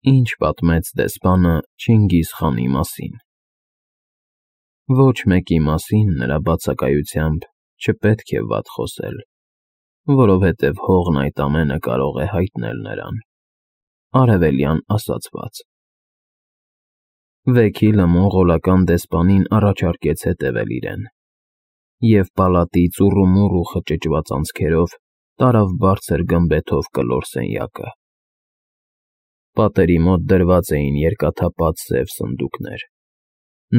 Ինչ պատմեց դեսպանը Չինգիզ խանի մասին։ Ոչ մեկի մասին նրա բացակայությամբ չպետք է վատ խոսել, որովհետև հողն այդ ամենը կարող է հայտնել նրան, արևելյան ասացված։ Վեքիլը մոնղոլական դեսպանին առաջարկեց հետևել իրեն, և պալատի ծուռումուռ ու խճճված անցքերով տարավ բարձր գմբեթով կլոր սենյակը։ Պատերի մոտ դրված էին երկաթապատ սև սնդուկներ,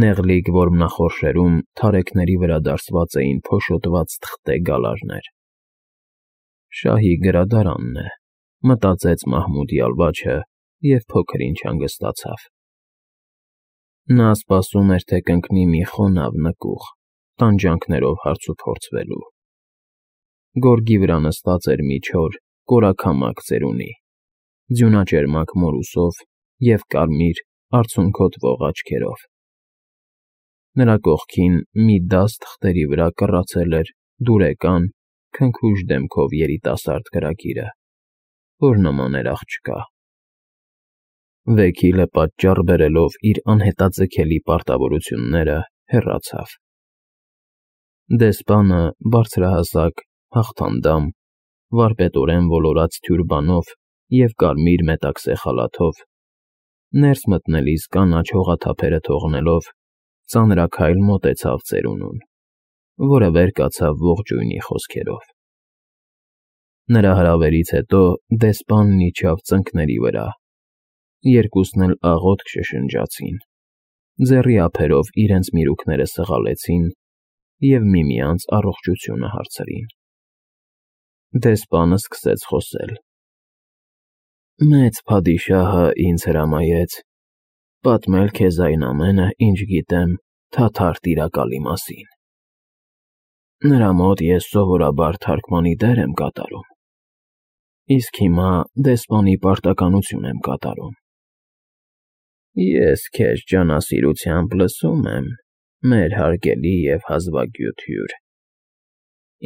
նեղլիկ որմնախորշերում թարեքների վրա դարսված էին փոշոտված թղթե գալարներ։ Շահի գրադարանն է, մտածեց Մահմուդի ալվաչը և փոքր-ինչ հանգստացավ։ Նա սպասում էր, թե կընկնի մի խոնավ նկուղ, տանջանքներով հարցուփորձվելու։ Գորգի վրա նստած էր մի չոր, կորաքամակ ծերունի, ձյունաճերմակ մորուսով և կարմիր, արցունքոտվող աչքերով։ Նրա կողքին մի դաս թղթերի վրա կռացել էր դուրեկան, քնքուշ դեմքով երիտասարդ գրագիրը, որ նման էր աղջկա։ Վեքիլը պատճառ բերելով իր անհետաձգելի պարտավորությունները, հեռացավ։ Դեսպանը բարձրահասակ, հաղթանդամ, վարպետորեն ոլորած թյուրբանով և կարմիր մետաքսե խալաթով, ներս մտնելիս կանաչ հողաթափերը թողնելով, ծանրաքայլ մոտեցավ ծերունուն, որը վեր կացավ ողջույնի խոսքերով։ Նրա հրավերից հետո դեսպանն իջավ ծնկների վրա, երկուսն էլ աղոթք շշնջացին, ձեռի ափերով իրենց միրուքները սղալեցին և միմյանց առողջությունը հարցրին։ Դեսպանը սկսեց խոսել. «Մեծ փադիշահը ինձ հրամայեց պատմել քեզ այն ամենը, ինչ գիտեմ թաթար տիրակալի մասին։ Նրա մոտ ես սովորաբար թարգմանի դեր եմ կատարում, իսկ հիմա դեսպանի պարտականություն եմ կատարում։ Ես քեզ ջանասիրությամբ լսում եմ, մեր հարգելի և հազվագյուտ հյուր։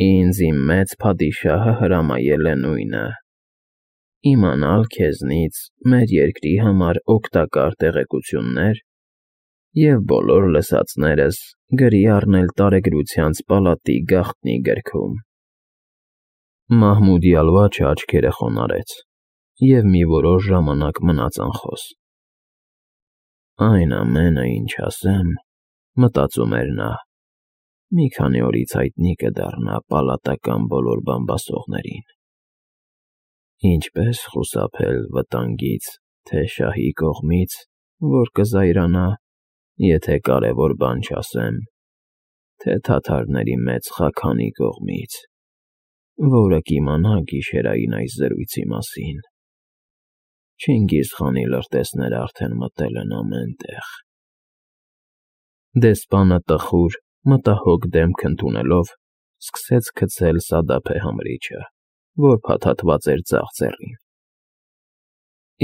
Ինձ իմ մեծ փադիշահը հրամայել է նույնը՝ իմանալ քեզնից մեր երկրի համար օգտակար տեղեկություններ և բոլոր լսածներս գրի առնել տարեգրությանց պալատի գաղտնի գրքում»։ Մահմուդի ալվաչը աչքերը խոնարհեց և մի որոշ ժամանակ մնաց անխոս։ «Այն ամենը, ինչ ասեմ, մտածում էր նա, մի քանի օրից հայտնի կդառնա պալատական բոլոր բամբասողներին։ Ինչպես խուսափել վտանգից թե շահի կողմից, որ կզայրանա, եթե կարևոր բան չասեմ, թե թաթարների մեծ խաքանի կողմից, որը կիմանա գիշերային այս զրույցի մասին։ Չինգիզ խանի լրտեսները արդեն մտել են ամեն տեղ»։ Դեսպանը տխուր, մտահոգ դեմք ընդունելով, սկսեց գցել սադափե համրիչը, որ փաթաթված էր ձախ ձեռին։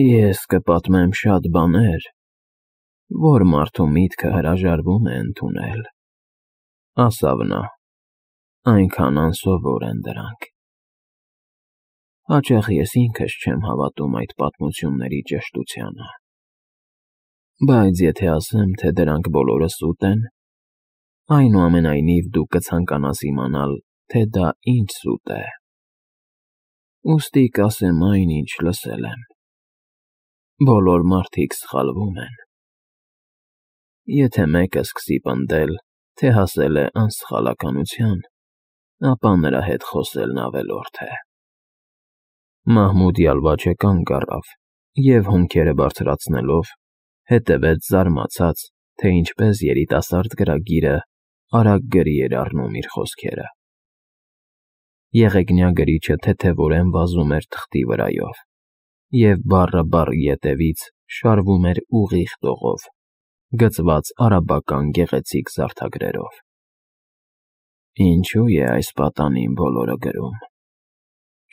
«Ես կպատմեմ շատ բաներ, որ մարդու միտքը հրաժարվում է ընդունել», ասավ նա, «այնքան անսովոր են դրանք։ Հաճախ ես ինքս չեմ հավատում այդ պատմությունների ճշտությանը։ Բայց եթե ասեմ, թե դրանք բոլորը սուտ են, այնուամենայնիվ դու կցանկանաս իմանալ, թե դա ինչ սուտ է։ Ուստի կասեմ այն, ինչ լսել եմ. բոլոր մարդիկ սխալվում են։ Եթե մեկը սկսի պնդել, թե հասել է անսխալականության, ապա նրա հետ խոսելն ավելորդ է»։ Մահմուդի ալվաչը կանգ առավ և, հոնքերը բարձրացնելով, հետևեց զարմացած, թե ինչպես երիտասարդ գրագիրը արագ գրի էր առնում իր խոսքերը։ Եղեգնյա գրիչը թեթևորեն վազում էր թղթի վրայով, և բառը բառի ետևից շարվում էր ուղիղ տողով, գծված արաբական գեղեցիկ զարդագրերով։ Ինչո՞ւ է այս պատանին բոլորը գրում։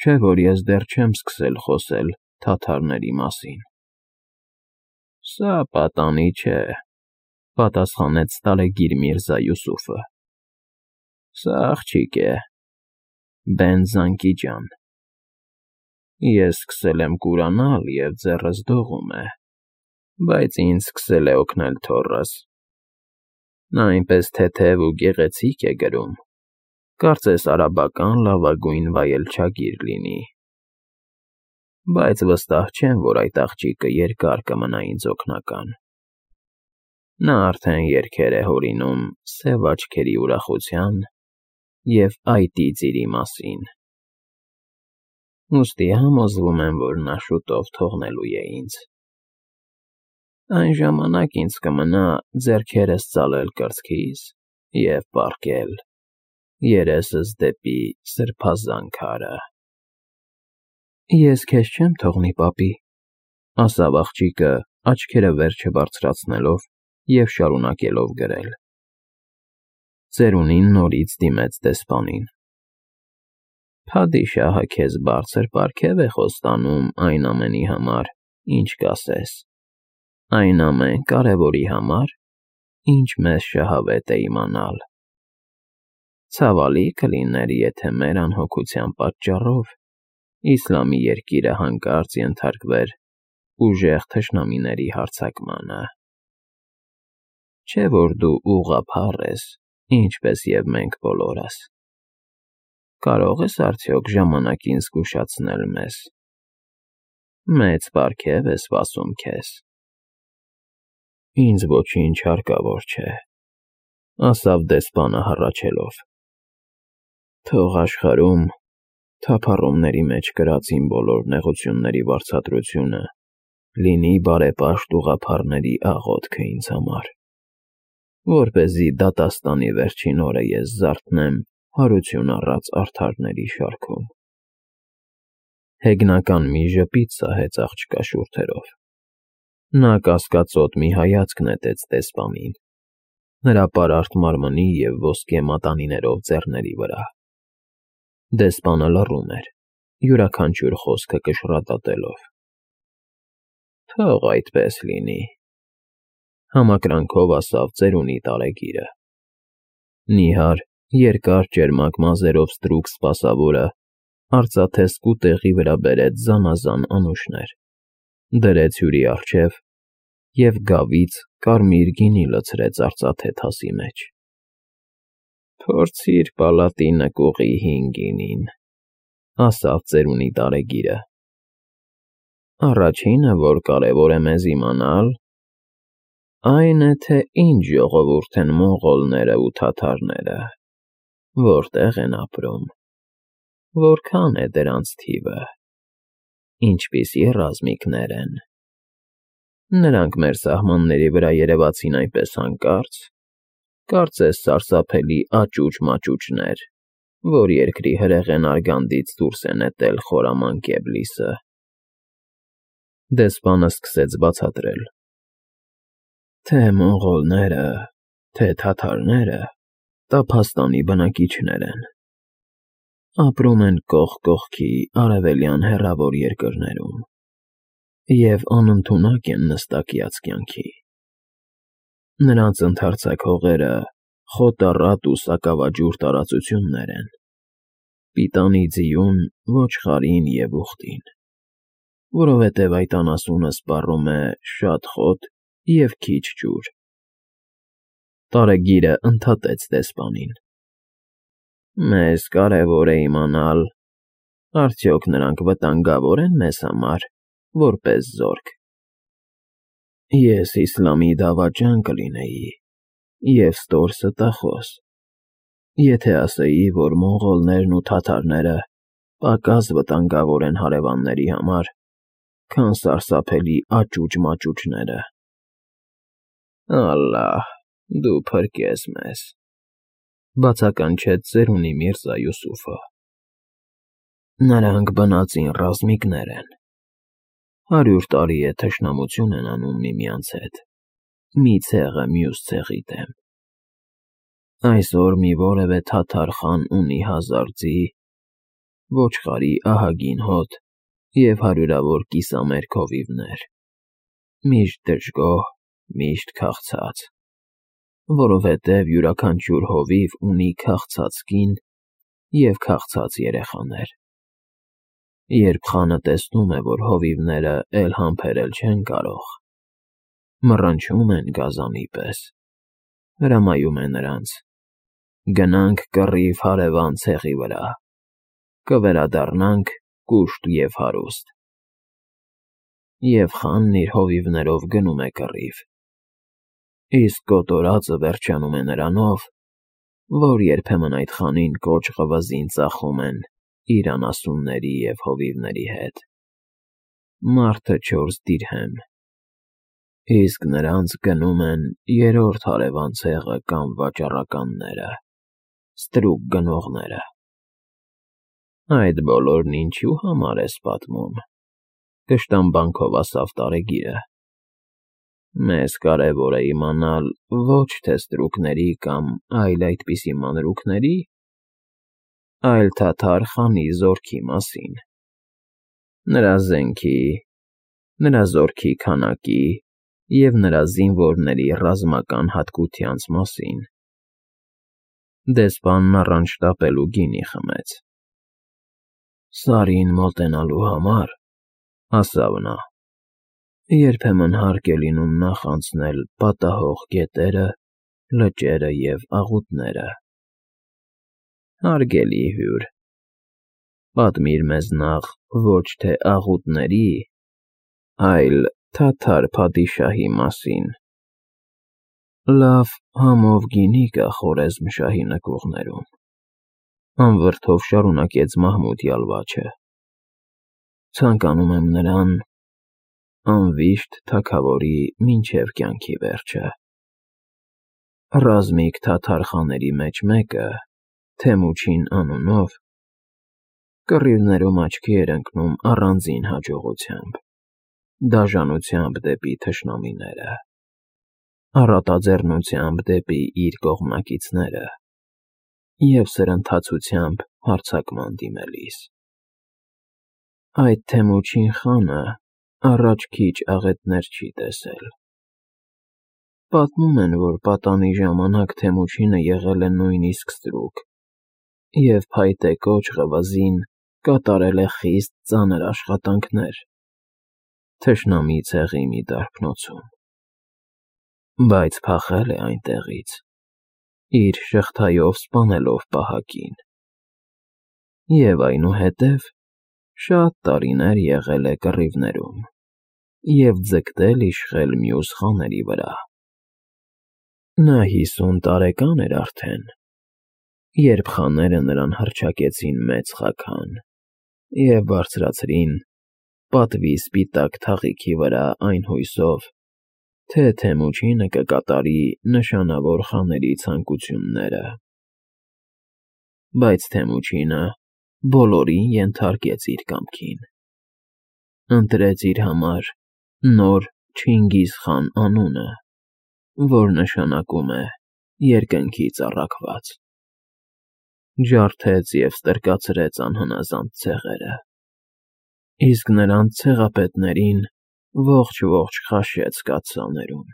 Չէ՞ որ ես դեռ չեմ սկսել խոսել թաթարների մասին։ Սա պատանի չէ, պատասխանեց Տալեգիր Միրզա Յուսուֆը։ Սա աղջիկ է, Բեն-Զանկի ջան։ Ես սկսել եմ կուրանալ, և ձեռս դողում է, բայց ինձ սկսել է օգնել թոռս։ Նա այնպես թեթև ու գեղեցիկ է գրում, կարծես արաբական լավագույն վայելչագիր լինի։ Բայց վստահ չեմ, որ այդ աղջիկը երկար կմնա ինձ օգնական։ Նա արդեն երգեր է հորինում սև աչքերի ուրախության և այտի ծիրի մասին։ Ուստի համոզվում եմ, որ նա շուտով թողնելու է ինձ։ Այն ժամանակ ինձ կմնա ձեռքերս ծալել կրծքիս և պառկել, երեսս դեպի սրբազան քարը։ Ես քեզ չեմ թողնի, պապի, ասավ աղջիկը, աչքերը վերջը բարձրացնելով և շարունակելով գրել։ Ծերունին նորից դիմեց դեսպանին։ Փադիշահը քեզ բարձր պարգև է խոստանում այն ամենի համար, ինչ կասես, այն ամեն կարևորի համար, ինչ մեզ շահավետ է իմանալ։ Ցավալի կլիներ, եթե մեր անհոգության պատճառով իսլամի երկիրը հանկարծ ենթարկվեր ուժեղ թշնամիների հարձակմանը։ Չէ՞ որ դու ուղղափառ ես, ինչպես և մենք բոլորս։ Կարող ես արդյոք ժամանակին զգուշացնել մեզ։ Մեծ պարգև է սպասում քեզ։ Ինձ ոչինչ հարկավոր չէ, ասավ դեսպանը հառաչելով։ Թող աշխարհում թափառումների մեջ կրած իմ բոլոր նեղությունների վարձատրությունը լինի բարեպաշտ ուղղափառների աղոթքը ինձ համար, որպեսզի դատաստանի վերջին օրը ես զարթնեմ հարություն առած արդարների շարքում։ Հեգնական մի ժպիտ սահեց աղջկա շուրթերով։ Նա կասկածոտ մի հայացք նետեց դեսպանին, նրա պարարտ մարմնի և ոսկե մատանիներով ձեռների վրա։ Դեսպանը լռում էր, յուրաքանչյուր խոսքը կշռադատելով։ Թող այդպես լինի, համակրանքով ասավ ծերունի տարեգիրը։ Նիհար, երկար ճերմակ մազերով ստրուկ սպասավորը արծաթե սկուտեղի վրա բերեց զանազան անուշներ, դրեց հյուրի առջև և գավից կարմիր գինի լցրեց արծաթե թասի մեջ։ Փորձիր պալատի նկուղի հին գինին, ասավ ծերունի տարեգիրը։ Առաջինը, որ կարևոր է մեզ իմանալ, այն է, թե ինչ ժողովուրդ են մոնղոլները ու թաթարները, որտեղ են ապրում, որքան է դրանց թիվը, ինչպիսի ռազմիկներ են։ Նրանք մեր սահմանների վրա երևացին այնպես հանկարծ, կարծես սարսափելի աճուճ-մաճուճներ, որ երկրի հրեղեն արգանդից դուրս է նետել խորամանկ Էբլիսը։ Դեսպանը սկսեց բացատրել. Թե մոնղոլները, թե թաթարները տափաստանի բնակիչներ են։ Ապրում են կողք կողքի արևելյան հեռավոր երկրներում և անընդունակ են նստակյաց կյանքի։ Նրանց ընդարձակ հողերը խոտառատ ու սակավաջուր տարածություններ են, պիտանի ձիուն, ոչխարին և ուղտին, որովհետև այդ անասունը սպառում է շատ խոտ և քիչ ջուր։ Տարեգիրը ընդհատեց դեսպանին. Մեզ կարևոր է իմանալ, արդյոք նրանք վտանգավոր են մեզ համար, որպես զորք։ Ես իսլամի դավաճան կլինեի և ստոր ստախոս, եթե ասեի, որ մոնղոլներն ու թաթարները պակաս վտանգավոր են հարևանների համար, քան սարսափելի աճուճ֊մաճուճները։ Ալլահ, դու փրկես մեզ, բացականչեց ծերունի Միրզա Յուսուֆը։ Նրանք բնածին ռազմիկներ են։ 100 տարի է թշնամություն են անում միմյանց հետ, մի ցեղը մյուս ցեղի դեմ։ Այսօր մի որևէ թաթար խան ունի 1000 ձի, ոչխարի ահագին հոտ և հարյուրավոր կիսամերկ հովիվներ, միշտ դժգոհ, միշտ քաղցած, որովհետև յուրաքանչյուր հովիվ ունի քաղցած կին և քաղցած երեխաներ։ Երբ խանը տեսնում է, որ հովիվները էլ համբերել չեն կարող, մռնչում են գազանի պես, հրամայում է նրանց. գնանք կռիվ հարևան ցեղի վրա, կվերադառնանք կուշտ և հարուստ։ Եվ խանն իր հովիվներով գնում է կռիվ, իսկ կոտորածը վերջանում է նրանով, որ երբեմն այդ խանին կոճ ղվզին ծախում են իր անասունների և հովիվների հետ, մարդը 4 դիրհեմ, իսկ նրանց գնում են երրորդ հարևան ցեղը կամ վաճառականները, ստրուկ գնողները։ Այդ բոլորն ինչու համար ես պատմում, կշտամբանքով ասավ տարեգիրը։ Մեզ կարևոր է իմանալ ոչ թե ստրուկների կամ այլ այդպիսի մանրուքների, այլ թաթար խանի զորքի մասին, նրա զենքի, նրա զորքի քանակի և նրա զինվորների ռազմական հատկությանց մասին։ Դեսպանն առանց շտապելու գինի խմեց։ Սարին մոտենալու համար, ասավ նա, երբեմն հարկ է լինում նախանցնել պատահող գետերը, լճերը և աղուտները։ Հարգելի հյուր, պատմիր մեզ նախ ոչ թե աղուտների, այլ թաթար փադիշահի մասին։ Լավ համով գինի կա Խորեզմ֊շահի նկուղներում, անվրդով շարունակեց Մահմուդ յալվաչը։ Ցանկանում եմ նրան անվիշտ թագավորի մինչև կյանքի վերջը։ Ռազմիկ թաթար խաների մեջ մեկը, Թեմուչին անունով, կռիվներում աչքի էր ընկնում առանձին հաջողությամբ, դաժանությամբ դեպի թշնամիները, առատաձեռնությամբ դեպի իր կողմնակիցները և սրընթացությամբ հարձակման դիմելիս։ Այդ Թեմուչին խանը առաջ քիչ աղետներ չի տեսել։ Պատմում են, որ պատանի ժամանակ Թեմուչինը եղել է նույնիսկ ստրուկ և փայտե կոճ ղվզին կատարել է խիստ ծանր աշխատանքներ թշնամի ցեղի մի դարբնոցում, բայց փախել է այնտեղից, իր շղթայով սպանելով պահակին, և այնուհետև շատ տարիներ եղել է կռիվներում և ձգտել իշխել մյուս խաների վրա։ Նա 50 տարեկան էր արդեն, երբ խաները նրան հռչակեցին Մեծ Խաքան և բարձրացրին պատվի սպիտակ թաղիքի վրա այն հույսով, թե Թեմուչինը կկատարի նշանավոր խաների ցանկությունները։ Բայց Թեմուչինը բոլորին ենթարկեց իր կամքին, ընտրեց իր համար նոր Չինգիզ խան անունը, որ նշանակում է երկնքից առաքված, ջարդեց և ստրկացրեց անհնազանդ ցեղերը, իսկ նրանց ցեղապետներին ողջ քաշեց կաթսաներում։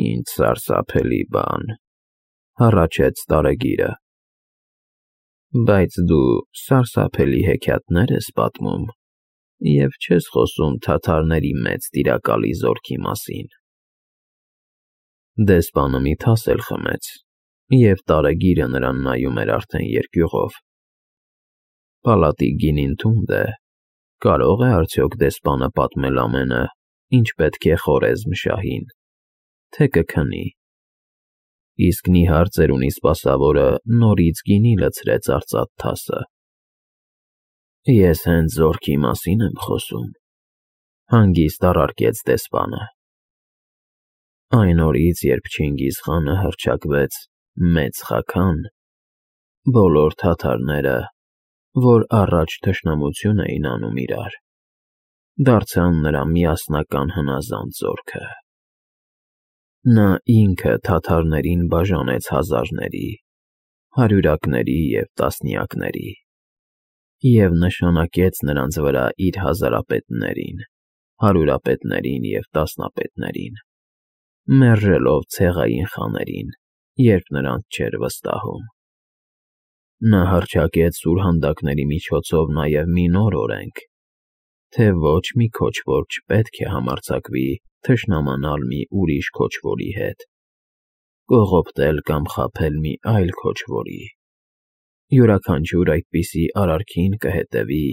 Ինչ սարսափելի բան, հառաչեց տարեգիրը։ Բայց դու սարսափելի հեքիաթներ ես պատմում և չես խոսում թաթարների մեծ տիրակալի զորքի մասին։ Դեսպանը մի թասել խմեց, և տարեգիրը նրան նայում էր արդեն երկյուղով։ Պալատի գինին թունդ է, կարող է արդյոք դեսպանը պատմել ամենը, ինչ պետք է Խորեզմ֊շահին, թե կքնի։ Իսկ նիհար ծերունի սպասավորը նորից գինի լցրեց արծաթ թասը։ Ես հենց զորքի մասին եմ խոսում, հանգիստ առարկեց դեսպանը։ Այն օրից, երբ Չինգիզ խանը հռչակվեց Մեծ Խաքան, բոլոր թաթարները, որ առաջ թշնամություն էին անում իրար, դարձան նրա միասնական հնազանդ զորքը։ Նա ինքը թաթարներին բաժանեց հազարների, հարյուրակների և տասնյակների և նշանակեց նրանց վրա իր հազարապետներին, հարյուրապետներին և տասնապետներին, մերժելով ցեղային խաներին, երբ նրանց չէր վստահում։ Նա հռչակեց սուրհանդակների միջոցով նաև մի նոր օրենք, թե ոչ մի քոչվոր չպետք է համարձակվի թշնամանալ մի ուրիշ քոչվորի հետ, կողոպտել կամ խաբել մի այլ քոչվորի, յուրաքանչյուր այդպիսի արարքին կհետևի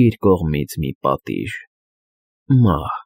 իր կողմից մի պատիժ, մահ։